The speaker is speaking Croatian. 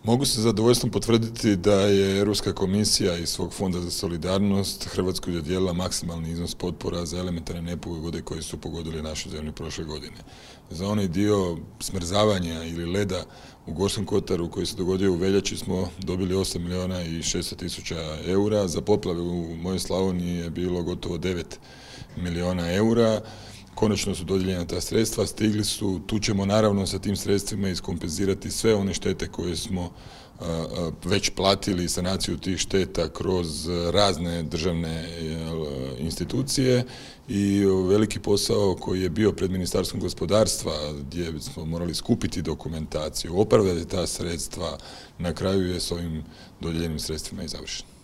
Mogu se zadovoljstvom potvrditi da je Europska komisija iz svog fonda za solidarnost Hrvatskoj dodijelila maksimalni iznos potpora za elementarne nepogode koje su pogodile našu zemlju prošle godine. Za onaj dio smrzavanja ili leda u Gorskom kotaru koji se dogodio u veljači smo dobili 8 milijuna i 600 tisuća eura. Za poplave u mojoj Slavoniji je bilo gotovo 9 milijuna eura. Konačno su dodijeljena ta sredstva, stigli su, tu ćemo naravno sa tim sredstvima iskompenzirati sve one štete koje smo već platili, sanaciju tih šteta kroz razne državne institucije i veliki posao koji je bio pred Ministarstvom gospodarstva gdje smo morali skupiti dokumentaciju, opravdati ta sredstva, na kraju je s ovim dodijeljenim sredstvima i završen.